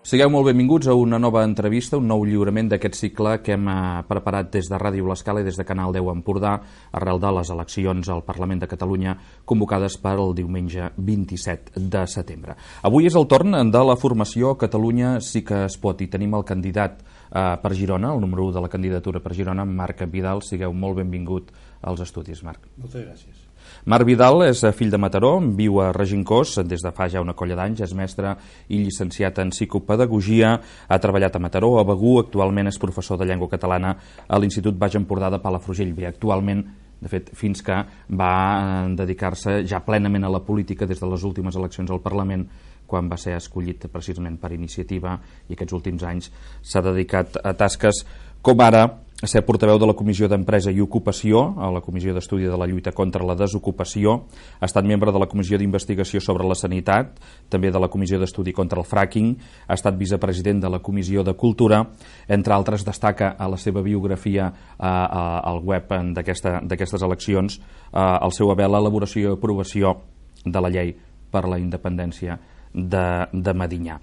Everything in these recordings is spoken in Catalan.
Sigueu molt benvinguts a una nova entrevista, un nou lliurament d'aquest cicle que hem preparat des de Ràdio L'Escala i des de Canal 10 Empordà arrel de les eleccions al Parlament de Catalunya convocades per el diumenge 27 de setembre. Avui és el torn de la formació Catalunya sí que es pot i tenim el candidat per Girona, el número 1 de la candidatura per Girona, Marc Vidal. Sigueu molt benvingut als estudis, Marc. Moltes gràcies. Marc Vidal és fill de Mataró, viu a Regencós des de fa ja una colla d'anys, és mestre i llicenciat en psicopedagogia, ha treballat a Mataró, a Begur, actualment és professor de llengua catalana a l'Institut Baix Empordà de Palafrugell. Bé, actualment, de fet, fins que va dedicar-se ja plenament a la política des de les últimes eleccions al Parlament, quan va ser escollit precisament per iniciativa, i aquests últims anys s'ha dedicat a tasques com ara ser portaveu de la Comissió d'Empresa i Ocupació, a la Comissió d'Estudi de la Lluita contra la Desocupació, ha estat membre de la Comissió d'Investigació sobre la Sanitat, també de la Comissió d'Estudi contra el Fracking, ha estat vicepresident de la Comissió de Cultura, entre altres destaca a la seva biografia al web d'aquestes eleccions el seu haver l'elaboració i aprovació de la llei per la independència de Medinyà.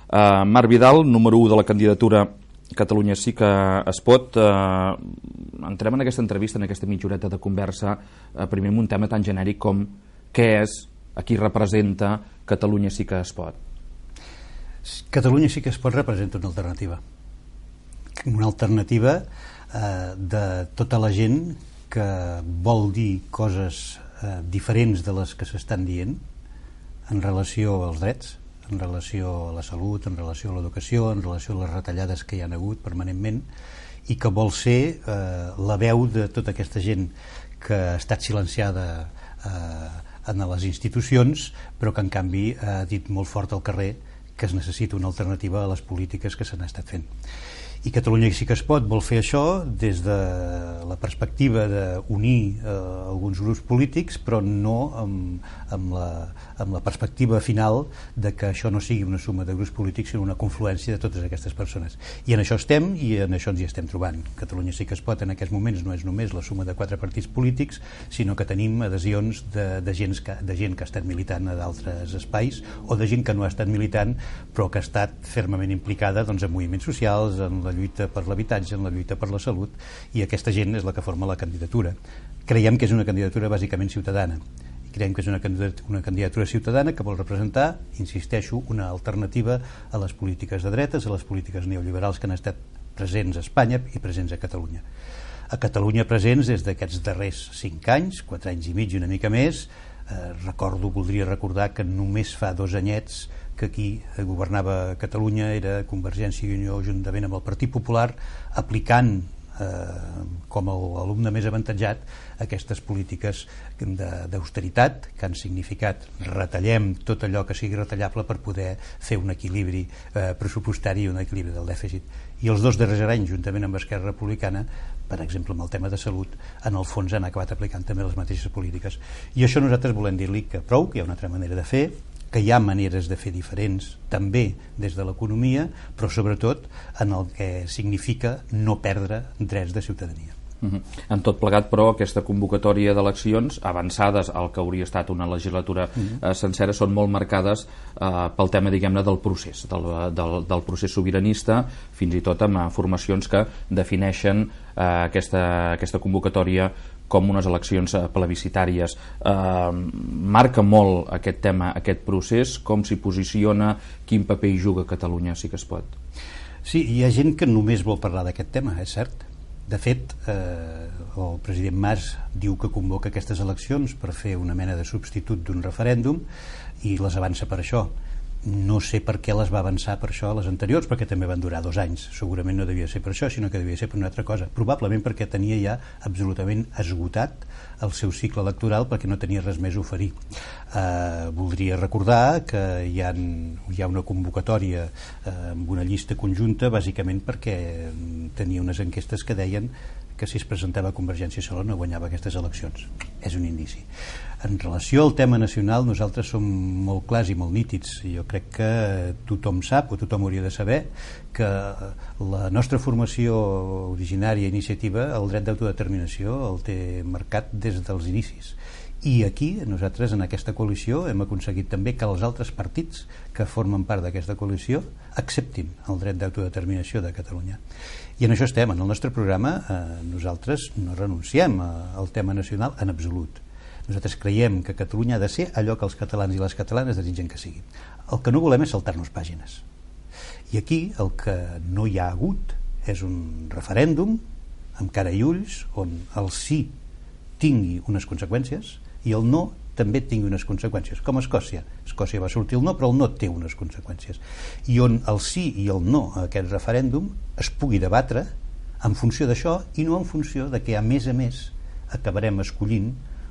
Marc Vidal, número 1 de la candidatura Catalunya sí que es pot. Entrem en aquesta entrevista, en aquesta mitja horeta de conversa, primer amb un tema tan genèric com què és, a qui representa Catalunya sí que es pot. Catalunya sí que es pot representa una alternativa de tota la gent que vol dir coses diferents de les que s'estan dient en relació als drets, en relació a la salut, en relació a l'educació, en relació a les retallades que hi ha hagut permanentment, i que vol ser la veu de tota aquesta gent que ha estat silenciada en les institucions, però que en canvi ha dit molt fort al carrer que es necessita una alternativa a les polítiques que s'han estat fent. I Catalunya sí que es pot vol fer això des de la perspectiva d'unir alguns grups polítics, però no amb la perspectiva final de que això no sigui una suma de grups polítics, sinó una confluència de totes aquestes persones. I en això estem, i en això ens hi estem trobant. Catalunya sí que es pot en aquests moments no és només la suma de 4 partits polítics, sinó que tenim adhesions de gent que ha estat militant a d'altres espais, o de gent que no ha estat militant però que ha estat fermament implicada en moviments socials, en la lluita per l'habitatge, en la lluita per la salut, i aquesta gent és la que forma la candidatura. Creiem que és una candidatura bàsicament ciutadana. Creiem que és una candidatura ciutadana que vol representar, insisteixo, una alternativa a les polítiques de dretes, a les polítiques neoliberals que han estat presents a Espanya i presents a Catalunya. A Catalunya presents des d'aquests darrers 5 anys, 4 anys i mig i una mica més. Voldria recordar que només fa 2 anyets que aquí governava Catalunya era Convergència i Unió juntament amb el Partit Popular, aplicant com a alumne més avantatjat aquestes polítiques d'austeritat que han significat retallem tot allò que sigui retallable per poder fer un equilibri pressupostari i un equilibri del dèficit. I els 2 darrers anys, juntament amb Esquerra Republicana, per exemple amb el tema de salut, en el fons han acabat aplicant també les mateixes polítiques. I això nosaltres volem dir-li que prou, que hi ha una altra manera de fer, que hi ha maneres de fer diferents també des de l'economia, però sobretot en el que significa no perdre drets de ciutadania. En tot plegat, però, aquesta convocatòria d'eleccions avançades al que hauria estat una legislatura sencera són molt marcades pel tema, diguem-ne, del procés del procés sobiranista, fins i tot amb formacions que defineixen aquesta convocatòria com unes eleccions plebiscitàries. Marca molt aquest tema, aquest procés, com s'hi posiciona, quin paper hi juga Catalunya sí que es pot? Sí, hi ha gent que només vol parlar d'aquest tema, és cert. De fet, el president Mas diu que convoca aquestes eleccions per fer una mena de substitut d'un referèndum i les avança per això. No sé per què les va avançar per això a les anteriors, perquè també van durar 2 anys. Segurament no devia ser per això, sinó que devia ser per una altra cosa. Probablement perquè tenia ja absolutament esgotat el seu cicle electoral, perquè no tenia res més a oferir. Voldria recordar que hi ha una convocatòria amb una llista conjunta, bàsicament perquè tenia unes enquestes que deien que si es presentava Convergència i Unió no guanyava aquestes eleccions. És un indici. En relació al tema nacional, nosaltres som molt clars i molt nítids. Jo crec que tothom sap, o tothom hauria de saber, que la nostra formació originària i iniciativa, el dret d'autodeterminació, el té marcat des dels inicis. I aquí, nosaltres, en aquesta coalició, hem aconseguit també que els altres partits que formen part d'aquesta coalició acceptin el dret d'autodeterminació de Catalunya. I en això estem. En el nostre programa nosaltres no renunciem al tema nacional en absolut. Nosaltres creiem que Catalunya ha de ser allò que els catalans i les catalanes desitgen que sigui. El que no volem és saltar-nos pàgines. I aquí el que no hi ha hagut és un referèndum amb cara i ulls on el sí tingui unes conseqüències i el no també tingui unes conseqüències, com a Escòcia. Escòcia va sortir el no, però el no té unes conseqüències. I on el sí i el no a aquest referèndum es pugui debatre en funció d'això i no en funció de que, a més, acabarem escollint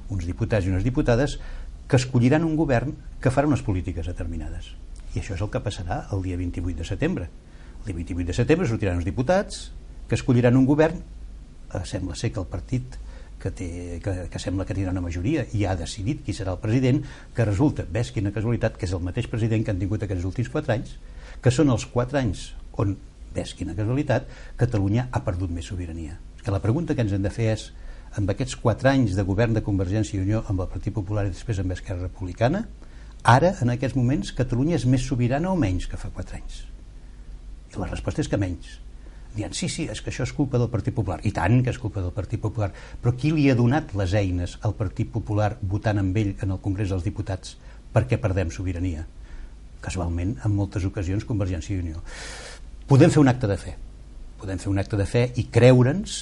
uns diputats i unes diputades que escolliran un govern que farà unes polítiques determinades. I això és el que passarà el dia 28 de setembre. El dia 28 de setembre sortiran uns diputats que escolliran un govern. Sembla ser que el partit que sembla que tindrà una majoria i ha decidit qui serà el president, que resulta, ves quina casualitat, que és el mateix president que han tingut aquests últims 4 anys, que són els 4 anys on, ves quina casualitat, Catalunya ha perdut més sobirania. Que la pregunta que ens hem de fer és, amb aquests 4 anys de govern de Convergència i Unió amb el Partit Popular i després amb Esquerra Republicana, ara, en aquests moments, Catalunya és més sobirana o menys que fa 4 anys? I la resposta és que menys. Dient, sí, és que això és culpa del Partit Popular. I tant que és culpa del Partit Popular. Però qui li ha donat les eines al Partit Popular votant amb ell en el Congrés dels Diputats perquè perdem sobirania? Casualment, en moltes ocasions, Convergència i Unió. Podem fer un acte de fe. Podem fer un acte de fe i creure'ns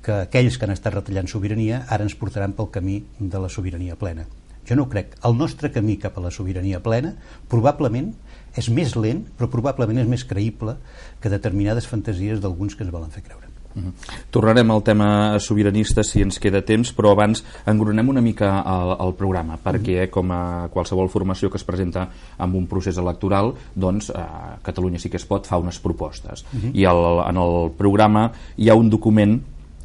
que aquells que han estat retallant sobirania ara ens portaran pel camí de la sobirania plena. Jo no ho crec. El nostre camí cap a la sobirania plena probablement és més lent, però probablement és més creïble que determinades fantasies d'alguns que ens volen fer creure. Tornarem al tema sobiranista si ens queda temps, però abans engronem una mica el programa, perquè com a qualsevol formació que es presenta amb un procés electoral, doncs Catalunya sí que es pot fa unes propostes. I en el programa hi ha un document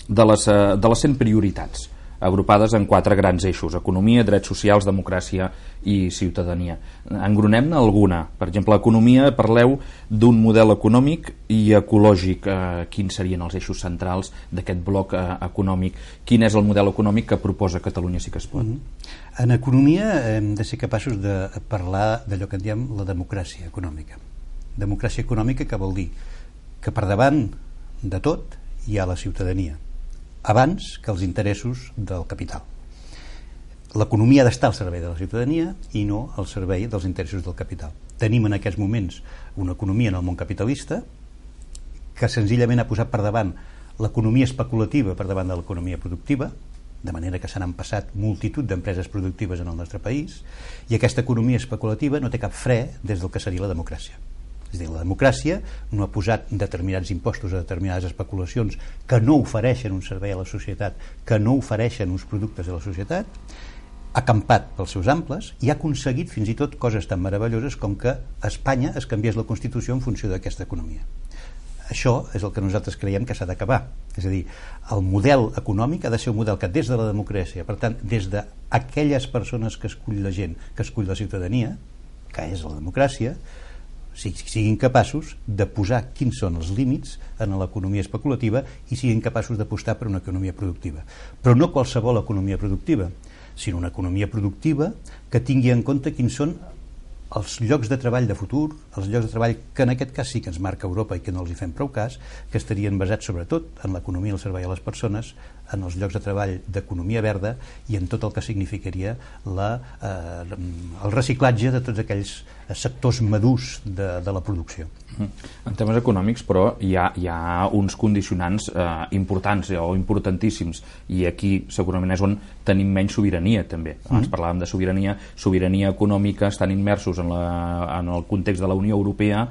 de les 100 prioritats agrupades en 4 grans eixos: economia, drets socials, democràcia i ciutadania. Engronem-ne alguna. Per exemple, economia, parleu d'un model econòmic i ecològic. Quins serien els eixos centrals d'aquest bloc econòmic? Quin és el model econòmic que proposa Catalunya sí que es pot? En economia hem de ser capaços de parlar d'allò que en diem la democràcia econòmica. Democràcia econòmica que vol dir que per davant de tot hi ha la ciutadania, abans que els interessos del capital. L'economia ha d'estar al servei de la ciutadania i no al servei dels interessos del capital. Tenim en aquests moments una economia en el món capitalista que senzillament ha posat per davant l'economia especulativa per davant de l'economia productiva, de manera que se n'han passat multitud d'empreses productives en el nostre país, i aquesta economia especulativa no té cap fre des del que seria la democràcia. És a dir, la democràcia no ha posat determinats impostos a determinades especulacions que no ofereixen un servei a la societat, que no ofereixen uns productes a la societat, ha campat pels seus amples i ha aconseguit fins i tot coses tan meravelloses com que a Espanya es canviés la Constitució en funció d'aquesta economia. Això és el que nosaltres creiem que s'ha d'acabar. És a dir, el model econòmic ha de ser un model que des de la democràcia, per tant, des d'aquelles persones que escull la gent, que escull la ciutadania, que és la democràcia, siguin capaços de posar quins són els límits en l'economia especulativa i siguin capaços d'apostar per una economia productiva. Però no qualsevol economia productiva, sinó una economia productiva que tingui en compte quins són els llocs de treball de futur, els llocs de treball que en aquest cas sí que ens marca Europa i que no els hi fem prou cas, que estarien basats sobretot en l'economia al servei a les persones, en els llocs de treball d'economia verda i en tot el que significaria el reciclatge de tots aquells sectors madurs de la producció. En temes econòmics, però, hi ha uns condicionants importants o importantíssims, i aquí segurament és on tenim menys sobirania també. Abans parlàvem de sobirania econòmica, estan immersos en el context de la Unió Europea.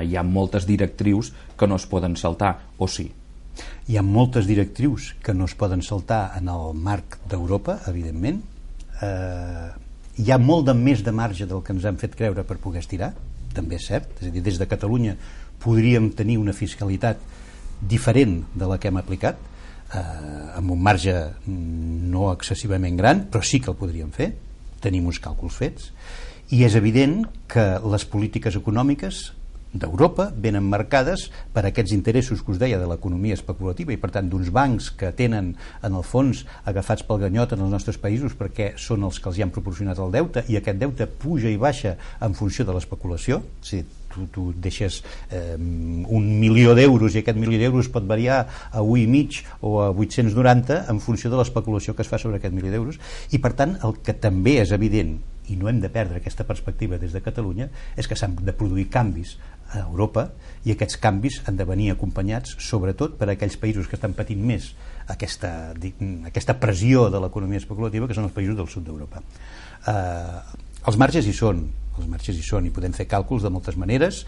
Hi ha moltes directrius que no es poden saltar, o sí? Hi ha moltes directrius que no es poden saltar en el marc d'Europa, evidentment. Hi ha molt més de marge del que ens han fet creure per poder estirar, també és cert. És a dir, des de Catalunya podríem tenir una fiscalitat diferent de la que hem aplicat. amb un marge no excessivament gran, però sí que el podríem fer, tenim uns càlculs fets, i és evident que les polítiques econòmiques d'Europa venen marcades per aquests interessos que us deia de l'economia especulativa i per tant d'uns bancs que tenen en el fons agafats pel ganyot en els nostres països perquè són els que els hi han proporcionat el deute i aquest deute puja i baixa en funció de l'especulació. Si tu deixes 1.000.000 d'euros i aquest 1.000.000 d'euros pot variar a 1,5 o a 890 en funció de l'especulació que es fa sobre aquest 1.000 d'euros i per tant el que també és evident i no hem de perdre aquesta perspectiva des de Catalunya és que s'han de produir canvis a Europa i aquests canvis han de venir acompanyats sobretot per aquells països que estan patint més aquesta pressió de l'economia especulativa que són els països del sud d'Europa. Els marges hi són i podem fer càlculs de moltes maneres.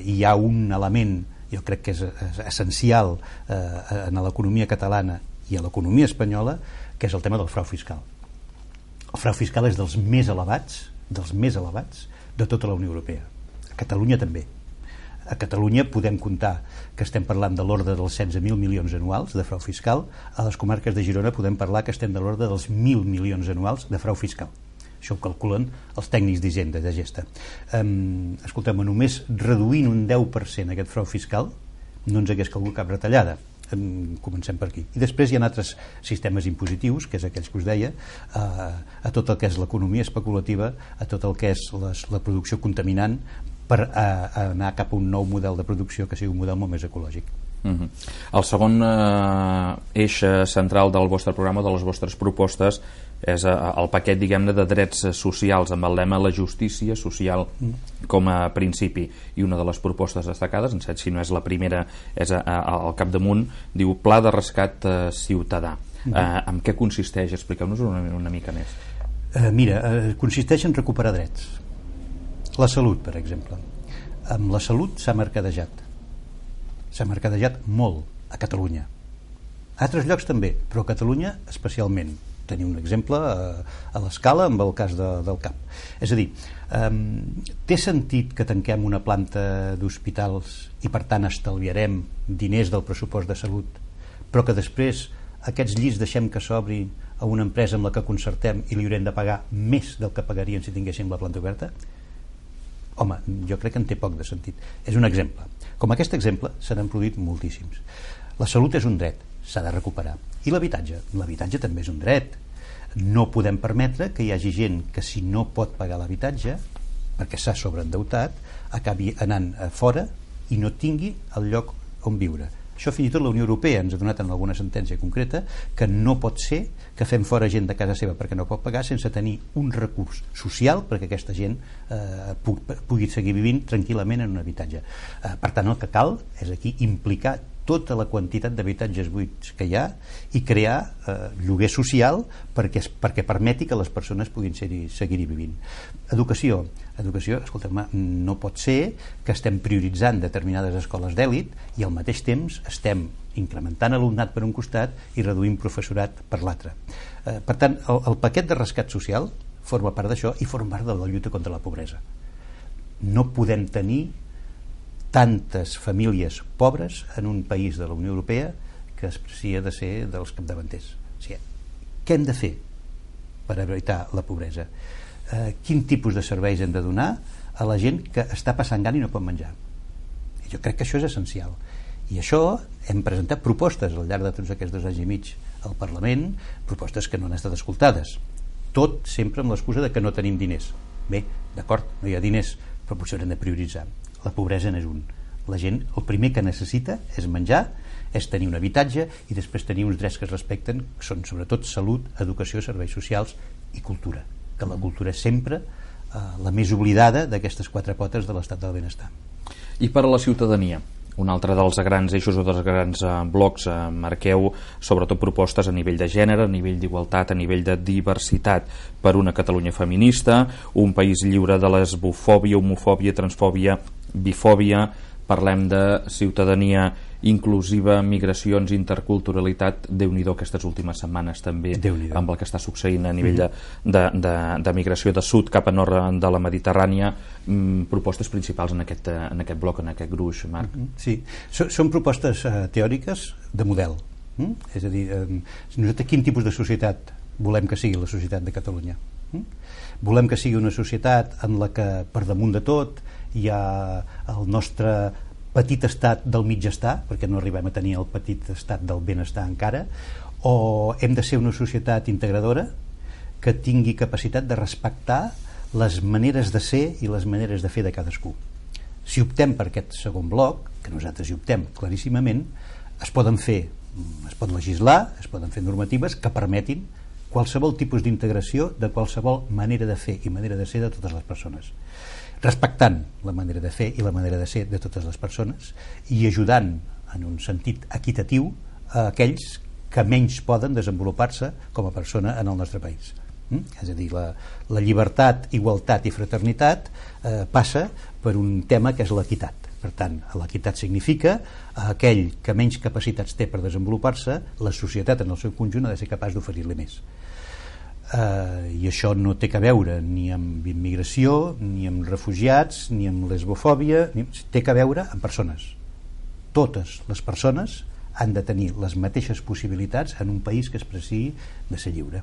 Hi ha un element jo crec que és essencial en l'economia catalana i a l'economia espanyola que és el tema del frau fiscal. El frau fiscal és dels més elevats de tota la Unió Europea. A Catalunya també. A Catalunya podem comptar que estem parlant de l'ordre dels 16.000 milions anuals de frau fiscal. A les comarques de Girona podem parlar que estem de l'ordre dels 1.000 milions anuals de frau fiscal. Això ho calculen els tècnics d'Hisenda, de Gesta. Escolteu, només reduint un 10% aquest frau fiscal no ens hagués calgut cap retallada. Comencem per aquí. I després hi ha altres sistemes impositius, que és aquells que us deia, a tot el que és l'economia especulativa, a tot el que és la producció contaminant, per anar cap a un nou model de producció que sigui un model molt més ecològic. El segon eix central del vostre programa, de les vostres propostes, és el paquet, diguem-ne, de drets socials amb el lema la justícia social com a principi, i una de les propostes destacades, en si no és la primera, és al capdamunt, diu Pla de Rescat Ciutadà. En què consisteix? Expliqueu-nos una mica més. Mira, consisteix en recuperar drets. La salut, per exemple. Amb la salut s'ha mercadejat molt a Catalunya. A altres llocs també, però a Catalunya especialment. Tenim un exemple a l'Escala amb el cas del CAP. És a dir, té sentit que tanquem una planta d'hospitals i per tant estalviarem diners del pressupost de salut, però que després aquests llits deixem que s'obri a una empresa amb la que concertem i li haurem de pagar més del que pagarien si tinguéssim la planta oberta? Home, jo crec que en té poc de sentit. És un exemple. Com aquest exemple se n'han produït moltíssims. La salut és un dret, s'ha de recuperar. I l'habitatge? L'habitatge també és un dret. No podem permetre que hi hagi gent que si no pot pagar l'habitatge, perquè s'ha sobreendeutat, acabi anant a fora i no tingui el lloc on viure. Això fins i tot la Unió Europea ens ha donat en alguna sentència concreta que no pot ser que fem fora gent de casa seva perquè no pot pagar sense tenir un recurs social perquè aquesta gent pugui seguir vivint tranquil·lament en un habitatge. Per tant, el que cal és aquí implicar tota la quantitat d'habitatges buits que hi ha i crear lloguer social perquè permeti que les persones puguin seguir-hi vivint. Educació, escolta'm, no pot ser que estem prioritzant determinades escoles d'èlit i al mateix temps estem incrementant alumnat per un costat i reduint professorat per l'altre. Per tant, el paquet de rescat social forma part d'això i forma part de la lluita contra la pobresa. No podem tenir tantes famílies pobres en un país de la Unió Europea que s'hi ha de ser dels capdavanters. O sigui, què hem de fer per evitar la pobresa? Quin tipus de serveis hem de donar a la gent que està passant gana i no pot menjar? I jo crec que això és essencial. I això hem presentat propostes al llarg de tots aquests 2 anys i mig al Parlament, propostes que no han estat escoltades. Tot sempre amb l'excusa de que no tenim diners. Bé, d'acord, no hi ha diners, però potser haurem de prioritzar. La pobresa n'és un. La gent, el primer que necessita és menjar, és tenir un habitatge i després tenir uns drets que es respecten, que són sobretot salut, educació, serveis socials i cultura, que la cultura és sempre la més oblidada d'aquestes 4 potes de l'estat del benestar. I per a la ciutadania? Un altre dels grans eixos o dels grans blocs marqueu sobretot propostes a nivell de gènere, a nivell d'igualtat, a nivell de diversitat per una Catalunya feminista, un país lliure de lesbofòbia, homofòbia, transfòbia, bifòbia. Parlem de ciutadania inclusiva, migracions, interculturalitat. Déu-n'hi-do aquestes últimes setmanes també amb el que està succeint a nivell de migració de sud cap a nord de la Mediterrània. Propostes principals en aquest bloc, en aquest gruix, Marc. Sí, són propostes teòriques de model. És a dir, nosaltres quin tipus de societat volem que sigui la societat de Catalunya? Volem que sigui una societat en la que per damunt de tot hi ha el nostre petit estat del mitjestar, perquè no arribem a tenir el petit estat del benestar encara, o hem de ser una societat integradora que tingui capacitat de respectar les maneres de ser i les maneres de fer de cadascú. Si optem per aquest segon bloc, que nosaltres hi optem claríssimament, es pot legislar, es poden fer normatives que permetin qualsevol tipus d'integració de qualsevol manera de fer i manera de ser de totes les persones, respectant la manera de fer i la manera de ser de totes les persones i ajudant en un sentit equitatiu a aquells que menys poden desenvolupar-se com a persona en el nostre país. És a dir, la llibertat, igualtat i fraternitat passa per un tema que és l'equitat. Per tant, l'equitat significa aquell que menys capacitats té per desenvolupar-se, la societat en el seu conjunt ha de ser capaç d'oferir-li més. I això no té a veure ni amb immigració, ni amb refugiats, ni amb lesbofòbia, té a veure amb persones. Totes les persones han de tenir les mateixes possibilitats en un país que es preciï de ser lliure.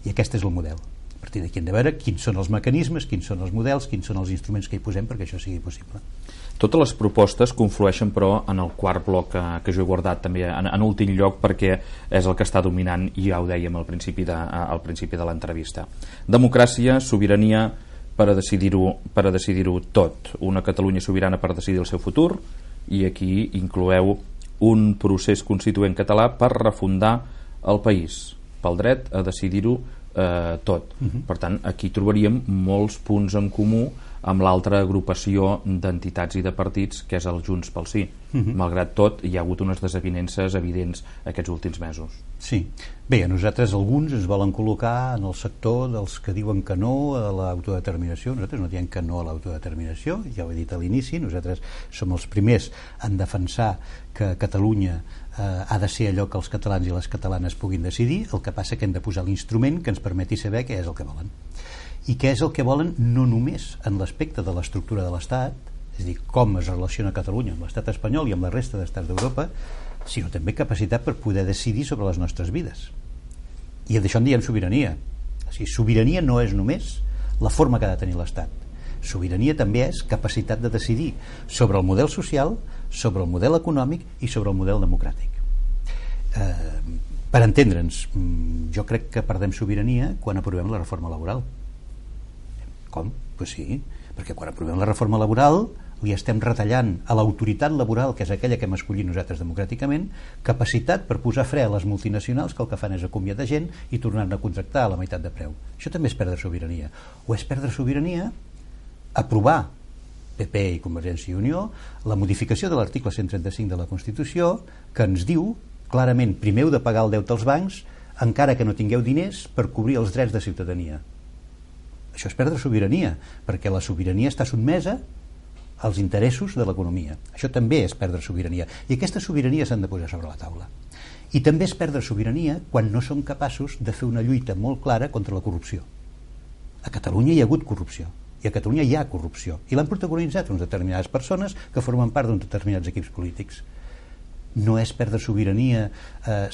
I aquest és el model. A partir d'aquí hem de veure quins són els mecanismes, quins són els models, quins són els instruments que hi posem perquè això sigui possible. Totes les propostes conflueixen, però, en el quart bloc que jo he guardat també en últim lloc, perquè és el que està dominant, i ja ho dèiem al principi de l'entrevista. Democràcia, sobirania per a decidir-ho tot. Una Catalunya sobirana per decidir el seu futur, i aquí incloeu un procés constituent català per refundar el país, pel dret a decidir-ho tot. Per tant, aquí trobaríem molts punts en comú amb l'altra agrupació d'entitats i de partits que és el Junts pel Sí. Malgrat tot, hi ha hagut unes desavinences evidents aquests últims mesos. Sí. Bé, a nosaltres alguns ens volen col·locar en el sector dels que diuen que no a l'autodeterminació. Nosaltres no diem que no a l'autodeterminació, ja ho he dit a l'inici, nosaltres som els primers en defensar que Catalunya ha de ser allò que els catalans i les catalanes puguin decidir. El que passa que hem de posar l'instrument que ens permeti saber què és el que volen. I què és el que volen no només en l'aspecte de l'estructura de l'Estat, és a dir, com es relaciona Catalunya amb l'Estat espanyol i amb la resta d'estats d'Europa, sinó també capacitat per poder decidir sobre les nostres vides. I d'això en diem sobirania. O sigui, sobirania no és només la forma que ha de tenir l'Estat. Sobirania també és capacitat de decidir sobre el model social, sobre el model econòmic i sobre el model democràtic. Per entendre'ns, jo crec que perdem sobirania quan aprovem la reforma laboral. Com? Pues sí, perquè quan aprovem la reforma laboral li estem retallant a l'autoritat laboral, que és aquella que hem escollit nosaltres democràticament, capacitat per posar fre a les multinacionals que el que fan és acomiadar gent i tornar-ne a contractar a la meitat de preu. Això també és perdre sobirania. O és perdre sobirania aprovar PP i Convergència i Unió la modificació de l'article 135 de la Constitució que ens diu clarament primer heu de pagar el deute als bancs encara que no tingueu diners per cobrir els drets de ciutadania. Això és perdre sobirania, perquè la sobirania està sotmesa als interessos de l'economia. Això també és perdre sobirania. I aquestes sobiranies s'han de posar sobre la taula. I també és perdre sobirania quan no som capaços de fer una lluita molt clara contra la corrupció. A Catalunya hi ha hagut corrupció. I a Catalunya hi ha corrupció. I l'han protagonitzat unes determinades persones que formen part d'uns determinats equips polítics. No és perdre sobirania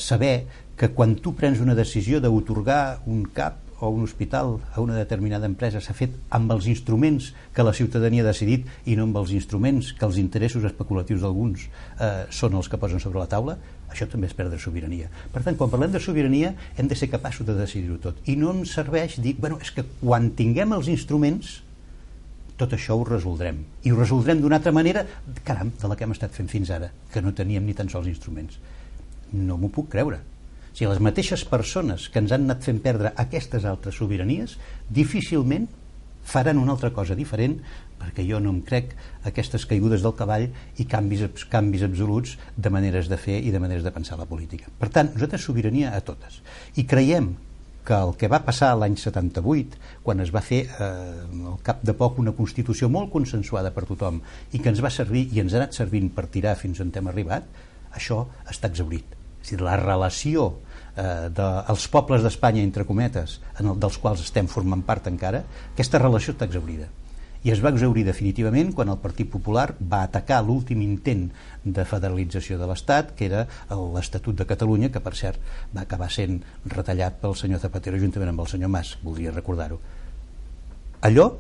saber que quan tu prens una decisió d'atorgar un CAP o un hospital a una determinada empresa s'ha fet amb els instruments que la ciutadania ha decidit i no amb els instruments que els interessos especulatius d'alguns són els que posen sobre la taula. Això també és perdre sobirania. Per tant, quan parlem de sobirania hem de ser capaços de decidir-ho tot. I no ens serveix dir, és que quan tinguem els instruments tot això ho resoldrem. I ho resoldrem d'una altra manera, caram, de la que hem estat fent fins ara, que no teníem ni tan sols instruments. No m'ho puc creure. O sigui, les mateixes persones que ens han anat fent perdre aquestes altres sobiranies difícilment faran una altra cosa diferent, perquè jo no em crec aquestes caigudes del cavall i canvis absoluts de maneres de fer i de maneres de pensar la política. Per tant, nosaltres sobirania a totes. I creiem que el que va passar l'any 78, quan es va fer al cap de poc una Constitució molt consensuada per tothom i que ens va servir i ens ha anat servint per tirar fins on hem arribat, això està exhaurit. És a dir, la relació dels pobles d'Espanya, entre cometes, dels quals estem formant part encara, aquesta relació està exhaurida. i es va exhaurir definitivament quan el Partit Popular va atacar l'últim intent de federalització de l'Estat, que era l'Estatut de Catalunya, que per cert va acabar sent retallat pel senyor Zapatero juntament amb el senyor Mas, voldria recordar-ho. Allò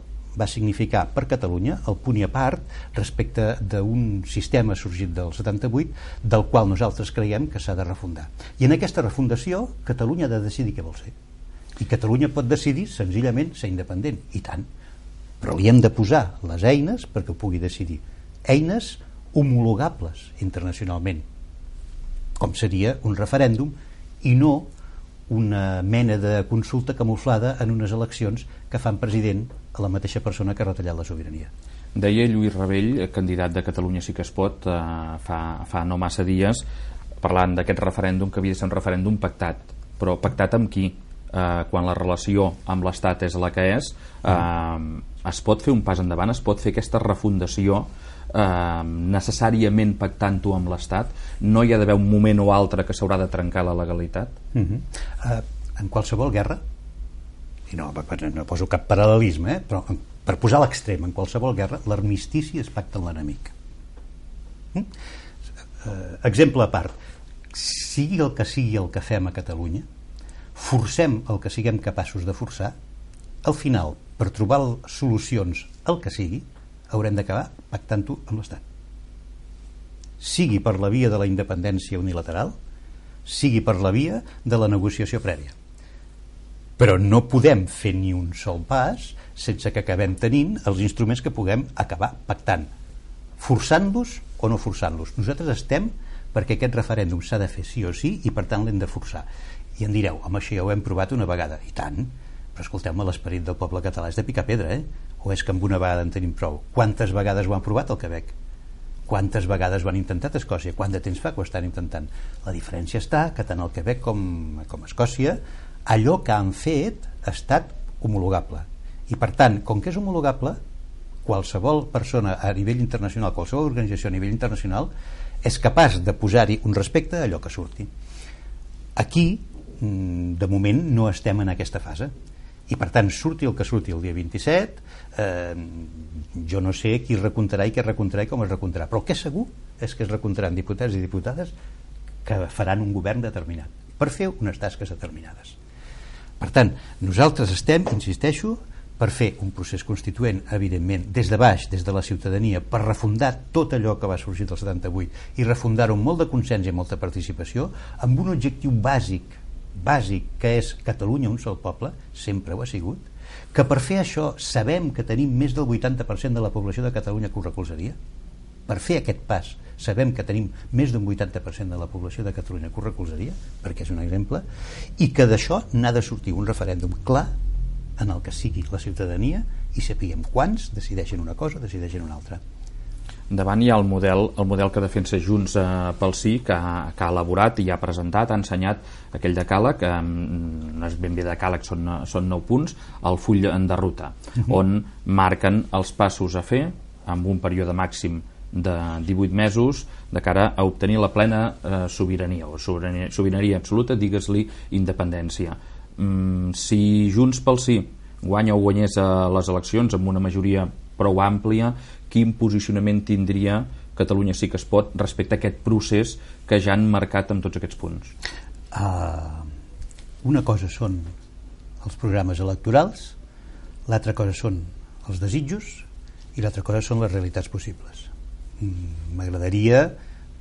va significar per Catalunya el punt i a part respecte d'un sistema sorgit del 78 del qual nosaltres creiem que s'ha de refundar. I en aquesta refundació Catalunya ha de decidir què vol ser. I Catalunya pot decidir senzillament ser independent, i tant. Però li hem de posar les eines perquè ho pugui decidir. Eines homologables internacionalment, com seria un referèndum i no una mena de consulta camuflada en unes eleccions que fan president a la mateixa persona que ha retallat la sobirania. Deia Lluís Rabell, candidat de Catalunya Sí que es pot, fa no massa dies, parlant d'aquest referèndum, que havia de ser un referèndum pactat. Però pactat amb qui? Quan la relació amb l'Estat és la que és, es pot fer un pas endavant, es pot fer aquesta refundació necessàriament pactant-ho amb l'Estat? No hi ha d'haver un moment o altre que s'haurà de trencar la legalitat? En qualsevol guerra, i no poso cap paral·lelisme, però per posar a l'extrem, en qualsevol guerra l'armistici es pacta amb l'enemic. Exemple a part, sigui el que fem a Catalunya, forcem el que siguem capaços de forçar, al final, per trobar solucions al que sigui, haurem d'acabar pactant-ho amb l'Estat. Sigui per la via de la independència unilateral, sigui per la via de la negociació prèvia. Però no podem fer ni un sol pas sense que acabem tenint els instruments que puguem acabar pactant, forçant-los o no forçant-los. Nosaltres estem perquè aquest referèndum s'ha de fer sí o sí i per tant l'hem de forçar. I em direu, home, això ja ho hem provat una vegada. I tant, però escolteu-me, l'esperit del poble català és de picar pedra, o és que amb una vegada en tenim prou? Quantes vegades ho han provat al Quebec? Quantes vegades ho han intentat a Escòcia? Quant de temps fa que ho estan intentant? La diferència està que tant al Quebec com a Escòcia allò que han fet ha estat homologable. I per tant, com que és homologable, qualsevol persona a nivell internacional, qualsevol organització a nivell internacional és capaç de posar-hi un respecte a allò que surti. Aquí, de moment, no estem en aquesta fase. I per tant, surti el que surti el dia 27, jo no sé qui recomptarà i què recomptarà i com es recomptarà, però el que és segur és que es recomptaran diputats i diputades que faran un govern determinat per fer unes tasques determinades. Per tant, nosaltres estem, insisteixo, per fer un procés constituent, evidentment, des de baix, des de la ciutadania, per refundar tot allò que va sorgir del 78 i refundar-ho amb molt de consens i molta participació, amb un objectiu bàsic, que és Catalunya un sol poble, sempre ho ha sigut, que per fer això sabem que tenim més del 80% de la població de Catalunya que ho recolzaria. Per fer aquest pas sabem que tenim més d'un 80% de la població de Catalunya que ho recolzaria, perquè és un exemple, i que d'això n'ha de sortir un referèndum clar en el que sigui la ciutadania i sapiguem quants decideixen una cosa, decideixen una altra. Davant hi ha el model que defensa Junts pel Sí, que ha elaborat i ha presentat, ha ensenyat aquell decàleg, no és ben bé decàleg, són 9 punts, el full de ruta, on marquen els passos a fer amb un període màxim de 18 mesos de cara a obtenir la plena sobirania o sobirania absoluta, digues-li independència. Si Junts pel Sí guanya o guanyés les eleccions amb una majoria prou àmplia, quin posicionament tindria Catalunya Sí que es pot respecte a aquest procés que ja han marcat amb tots aquests punts? Una cosa són els programes electorals, l'altra cosa són els desitjos i l'altra cosa són les realitats possibles. M'agradaria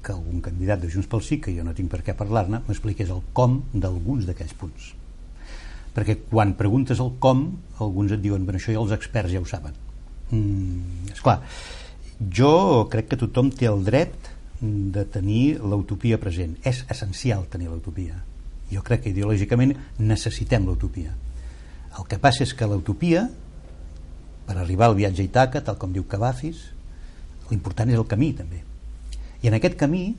que algun candidat de Junts pel Sí, que jo no tinc per què parlar-ne, m'expliqués el com d'alguns d'aquells punts. Perquè quan preguntes el com, alguns et diuen, bueno, això ja els experts ja ho saben. Esclar, jo crec que tothom té el dret de tenir l'utopia present. És essencial tenir l'utopia. Jo crec que ideològicament necessitem l'utopia. El que passa és que l'utopia, per arribar al viatge a Ítaca, tal com diu Cavafis, l'important és el camí també. I en aquest camí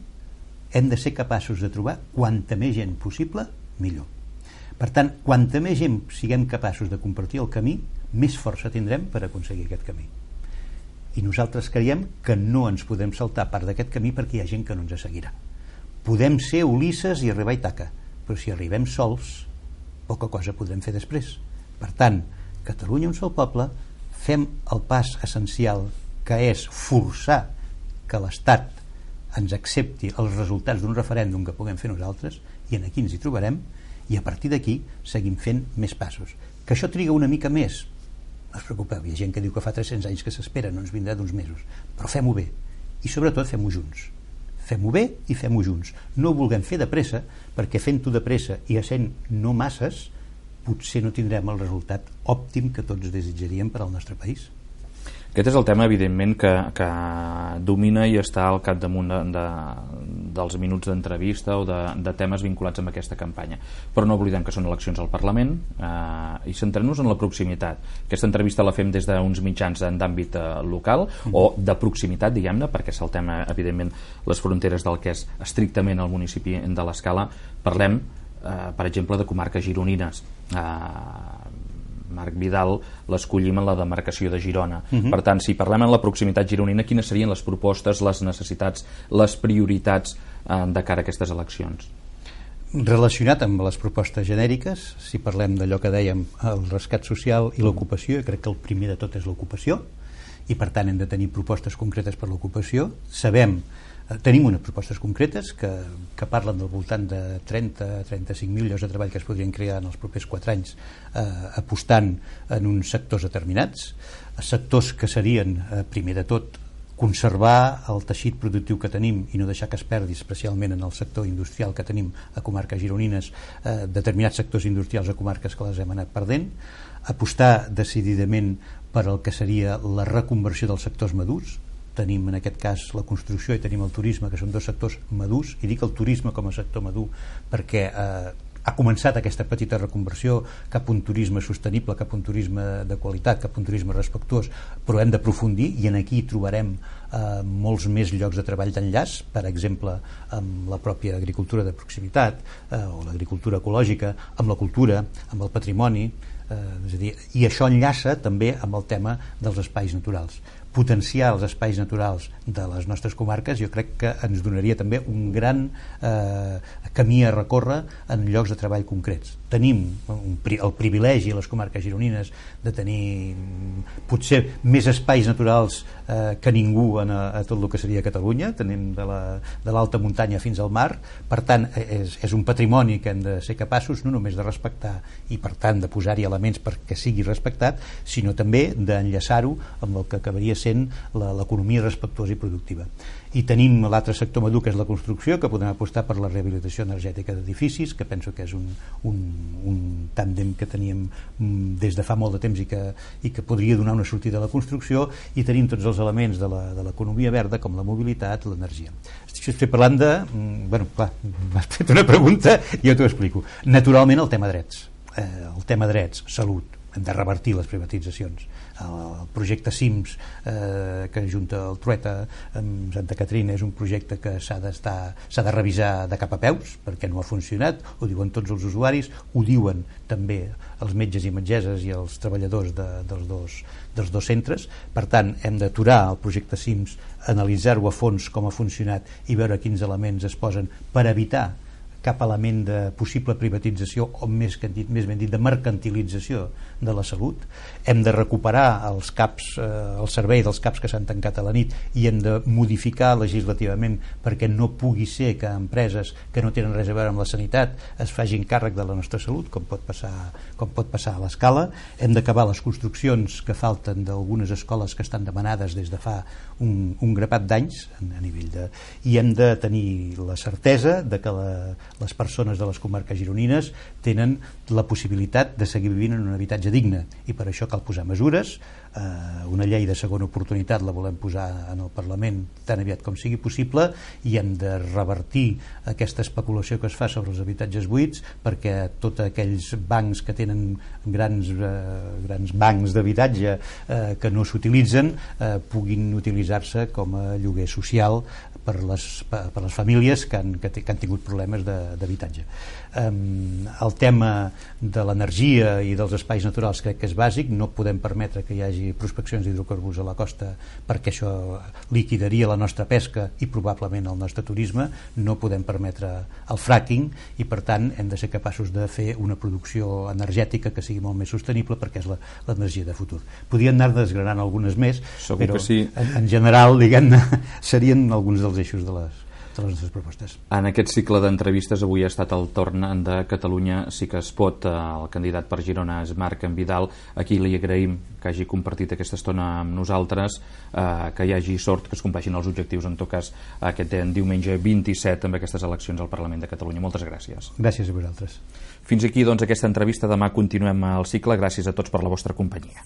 hem de ser capaços de trobar quanta més gent possible, millor. Per tant, quanta més gent siguem capaços de compartir el camí, més força tindrem per aconseguir aquest camí. I nosaltres creiem que no ens podem saltar part d'aquest camí perquè hi ha gent que no ens seguirà. Podem ser Ulisses i arribar a Ítaca, però si arribem sols, poca cosa podrem fer després. Per tant, Catalunya un sol poble, fem el pas essencial, que és forçar que l'Estat ens accepti els resultats d'un referèndum que puguem fer nosaltres, i aquí ens hi trobarem, i a partir d'aquí seguim fent més passos. Que això triga una mica més, no us preocupeu, hi ha gent que diu que fa 300 anys que s'espera, no ens vindrà d'uns mesos, però fem-ho bé, i sobretot fem-ho junts. Fem-ho bé i fem-ho junts. No ho vulguem fer de pressa, perquè fent-ho de pressa i essent no masses, potser no tindrem el resultat òptim que tots desitjaríem per al nostre país. Aquest és el tema, evidentment, que domina i està al capdamunt dels minuts d'entrevista o de temes vinculats amb aquesta campanya. Però no oblidem que són eleccions al Parlament i centrem-nos en la proximitat. Aquesta entrevista la fem des d'uns mitjans d'àmbit local o de proximitat, diguem-ne, perquè saltem, evidentment, les fronteres del que és estrictament el municipi de l'Escala. Parlem, per exemple, de comarques gironines. Marc Vidal l'escollim en la demarcació de Girona. Per tant, si parlem en la proximitat gironina, quines serien les propostes, les necessitats, les prioritats de cara a aquestes eleccions? Relacionat amb les propostes genèriques, si parlem d'allò que dèiem, el rescat social i l'ocupació, jo crec que el primer de tot és l'ocupació, i per tant hem de tenir propostes concretes per l'ocupació. Tenim unes propostes concretes que parlen del voltant de 30-35.000 llocs de treball que es podrien crear en els propers 4 anys, apostant en uns sectors determinats, sectors que serien, primer de tot, conservar el teixit productiu que tenim i no deixar que es perdi, especialment en el sector industrial que tenim a comarques gironines, determinats sectors industrials a comarques que les hem anat perdent, apostar decididament per el que seria la reconversió dels sectors madurs. Tenim en aquest cas la construcció i tenim el turisme, que són dos sectors madurs, i dic el turisme com a sector madur perquè ha començat aquesta petita reconversió cap a un turisme sostenible, cap a un turisme de qualitat, cap a un turisme respectuós, però hem d'aprofundir i en aquí trobarem molts més llocs de treball d'enllaç, per exemple amb la pròpia agricultura de proximitat o l'agricultura ecològica, amb la cultura, amb el patrimoni, és a dir, i això enllaça també amb el tema dels espais naturals. Potenciar els espais naturals de les nostres comarques jo crec que ens donaria també un gran camí a recórrer en llocs de treball concrets. Tenim el privilegi a les comarques gironines de tenir potser més espais naturals que ningú a tot el que seria Catalunya. Tenim de l'alta muntanya fins al mar, per tant és un patrimoni que hem de ser capaços no només de respectar i per tant de posar-hi elements perquè sigui respectat, sinó també d'enllaçar-ho amb el que acabaria sent l'economia respectuosa i productiva. I tenim l'altre sector madur, que és la construcció, que podem apostar per la rehabilitació energètica d'edificis, que penso que és un tàndem que teníem des de fa molt de temps i que podria donar una sortida a la construcció, i tenim tots els elements de l'economia verda, com la mobilitat, l'energia. Estic parlant de... Bueno, clar, m'has fet una pregunta i jo t'ho explico. Naturalment el tema drets. El tema drets, salut, hem de revertir les privatitzacions. El projecte CIMS que junta el Trueta amb Santa Caterina és un projecte que s'ha de revisar de cap a peus perquè no ha funcionat, ho diuen tots els usuaris, ho diuen també els metges i metgesses i els treballadors dels dos centres. Per tant, hem d'aturar el projecte CIMS, analitzar-ho a fons com ha funcionat i veure quins elements es posen per evitar cap element de possible privatització o més ben dit de mercantilització de la salut. Hem de recuperar els CAPs, el servei dels CAPs que s'han tancat a la nit, i hem de modificar legislativament perquè no pugui ser que empreses que no tenen res a veure amb la sanitat es facin càrrec de la nostra salut, com pot passar a l'Escala. Hem d'acabar les construccions que falten d'algunes escoles que estan demanades des de fa un grapat d'anys a nivell i hem de tenir la certesa de que les persones de les comarques gironines tenen la possibilitat de seguir vivint en un habitatge digne, i per això cal posar mesures. Una llei de segona oportunitat la volem posar en el Parlament tan aviat com sigui possible, i hem de revertir aquesta especulació que es fa sobre els habitatges buits perquè tots aquells bancs que tenen grans bancs d'habitatge que no s'utilitzen puguin utilitzar-se com a lloguer social per les famílies que han tingut problemes de d'habitatge. El tema de l'energia i dels espais naturals crec que és bàsic. No podem permetre que hi hagi prospeccions d'hidrocarburs a la costa, perquè això liquidaria la nostra pesca i probablement el nostre turisme. No podem permetre el fracking i per tant hem de ser capaços de fer una producció energètica que sigui molt més sostenible, perquè és l'energia de futur. Podríem anar desgranant algunes més, segur, però sí. En general, diguem-ne, serien alguns dels eixos de les nostres propostes. En aquest cicle d'entrevistes avui ha estat el torn de Catalunya Sí que es pot. El candidat per Girona és Marc Vidal. Aquí li agraïm que hagi compartit aquesta estona amb nosaltres, que hi hagi sort, que es compleixin els objectius, en tot cas aquest diumenge 27 amb aquestes eleccions al Parlament de Catalunya. Moltes gràcies. Gràcies a vosaltres. Fins aquí, doncs, aquesta entrevista. Demà continuem el cicle. Gràcies a tots per la vostra companyia.